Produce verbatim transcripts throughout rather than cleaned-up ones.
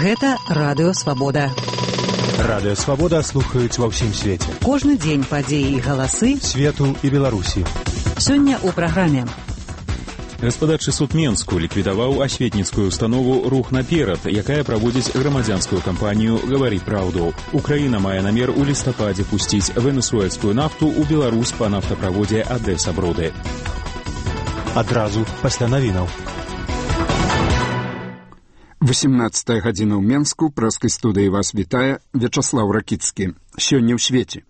Гэта Радыё Свабода. Радыё Свабода слухаюць ва ўсім свеце. Кожны дзень падзеі і галасы свету і Беларусі. Сёння ў праграме. Гаспадарчы суд Менску ліквідаваў асветніцкую установу «Рух наперад», якая праводзіць грамадзянскую кампанію «Гаварі праўду». Украіна мае намер у лістападзе пусціць венесуэльскую нафту ў Беларусь па нафтаправодзе Адэса-Броды. Адразу пасля навінаў. восемнадцатая гадзіна ў Менску, прэскай студыі вас вітае Вячаслаў Ракіцкі. Сёння ў свеце.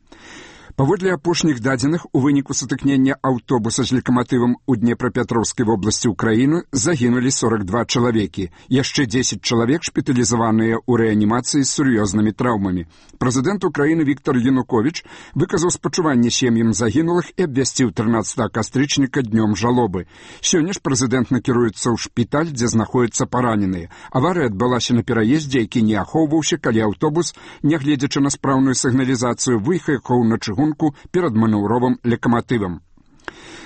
Паводле апошніх дадзеных, у выніку сутыкнення аўтобуса з лакаматывам у Днепрапетроўскай вобласці ўкраіны загінулі сорок два чалавекі. Яшчэ дзесяць чалавек шпіталізаваныя ў рэанімацыі з сур'ёзнымі траўмамі. Прэзідэнт Украіны Віктор Януковіч выказаў спачуванне сем'ям загінулых і абвясціў трынаццатага кастрычніка днём жалобы. Сёння ж прэзідэнт накіруецца ў шпіталь, дзе знаходзяцца параненыя. Аварыя адбылася на пераездзе, які не ахоўваўся, калі аўтобус, нягледзячы на спраўную сігналізацыю, выехаў на чыгун перад манеўровым лакаматывам.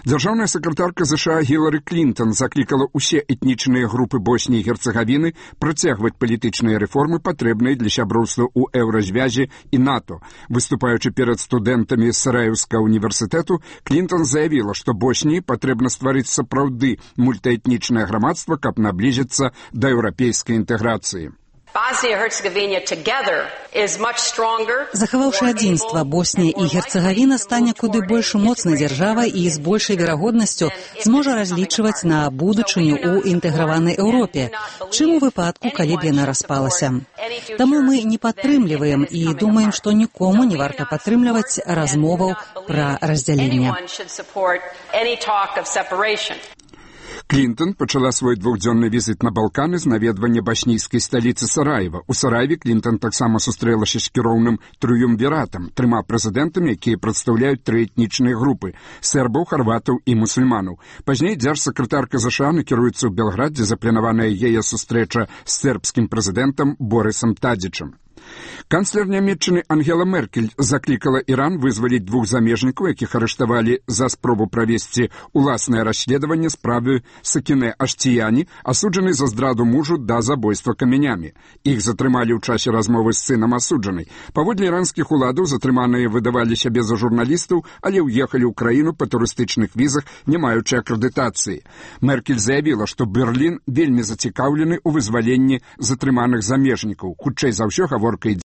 Дзяржаўная сакратарка ЗША Гілары Клінтон заклікала ўсе этнічныя групы Босніі і Герцагавіны працягваць палітычныя рэформы, патрэбныя для сяброўства ў еўразвязі і НАТО. Выступаючы перад студэнтамі Сараеўскага універсітэту, Клінтон заявіла, што Босніі патрэбна стварыць сапраўды мультаэтнічнае грамадства, каб наблізіцца да еўрапейскай інтэграцыі. Захаваўшы адзінства, Боснія і Герцагавіна стане куды больш моцнай дзяржавай і з большай верагоднасцю зможа разлічваць на будучыню ў інтэграванай Еўропе, чым у выпадку, калі б яна распалася. Таму мы не падтрымліваем і думаем, што нікому не варта падтрымліваць размоваў пра раздзяленне. Клінтон пачала свой двухдзённы візіт на Балканы з наведвання баснійскай сталіцы Сараева. У Сараеве Клінтон таксама сустрэлася з кіроўным трыумвіратам, трыма прэзідэнтамі, якія прадстаўляюць тры этнічныя групы – сербаў, харватаў і мусульманаў. Пазней дзяржсакратарка ЗША накіруецца ў Белград, дзе запланаваная яе сустрэча з сербскім прэзідэнтам Борысам Тадзічам. Канцлер Нямецчыны Ангела Меркель заклікала Іран вызваліць двух замежнікаў, якіх арыштавалі за спробу правесці уласнае расследаванне справы Сакінэ Аштіяні, асуджанай за здраду мужу да забойства камянямі. Іх затрымалі ў часе размовы з сынам асуджанай. Паводле іранскіх уладаў затрыманыя выдавалі сябе за журналістаў, але ўехалі ў краіну па турыстычных візах, не маючы акрэдытацыі. Меркель заявіла, што Берлін вельмі зацікаўлены ў вызваленні затрыманых замежнікаў. Хутчэй за ўсё гаворка ідзе